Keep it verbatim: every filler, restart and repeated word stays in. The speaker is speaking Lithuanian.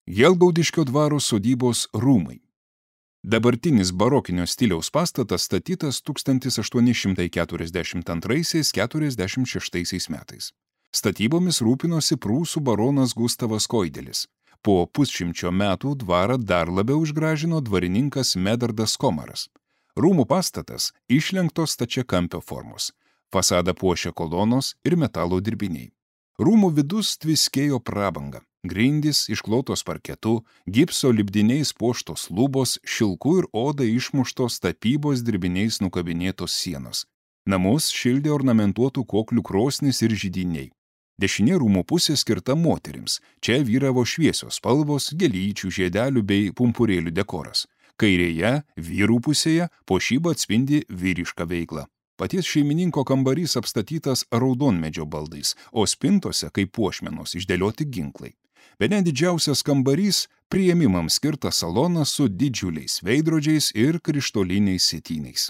Jelgaudiškio dvaro sodybos rūmai. Dabartinis barokinio stiliaus pastatas statytas tūkstantis aštuoni šimtai keturiasdešimt antraisiais - keturiasdešimt šeštaisiais metais. Statybomis rūpinosi prūsų baronas Gustavas Koidelis. Po pusšimčio metų dvarą dar labiau išgražino dvarininkas Medardas Komaras. Rūmų pastatas išlenktos stačiakampio formos. Fasadą puošia kolonos ir metalo dirbiniai. Rūmų vidus tviskėjo prabanga. Grindys išklotos parketu, gipso lipdiniais puoštos lubos, šilkų ir oda išmuštos tapybos dirbiniais nukabinėtos sienos. Namus šildė ornamentuotų koklių krosnis ir židiniai. Dešinė rūmų pusė skirta moterims. Čia vyravo šviesios spalvos, gėlyčių, žiedelių bei pumpurėlių dekoras. Kairėje, vyrų pusėje, puošyba atspindi vyrišką veiklą. Paties šeimininko kambarys apstatytas raudonmedžio baldais, o spintose, kaip puošmenos, išdėlioti ginklai. Bene didžiausias kambarys – priėmimams skirtas salonas su didžiuliais veidrodžiais ir krištoliniais sietyniais.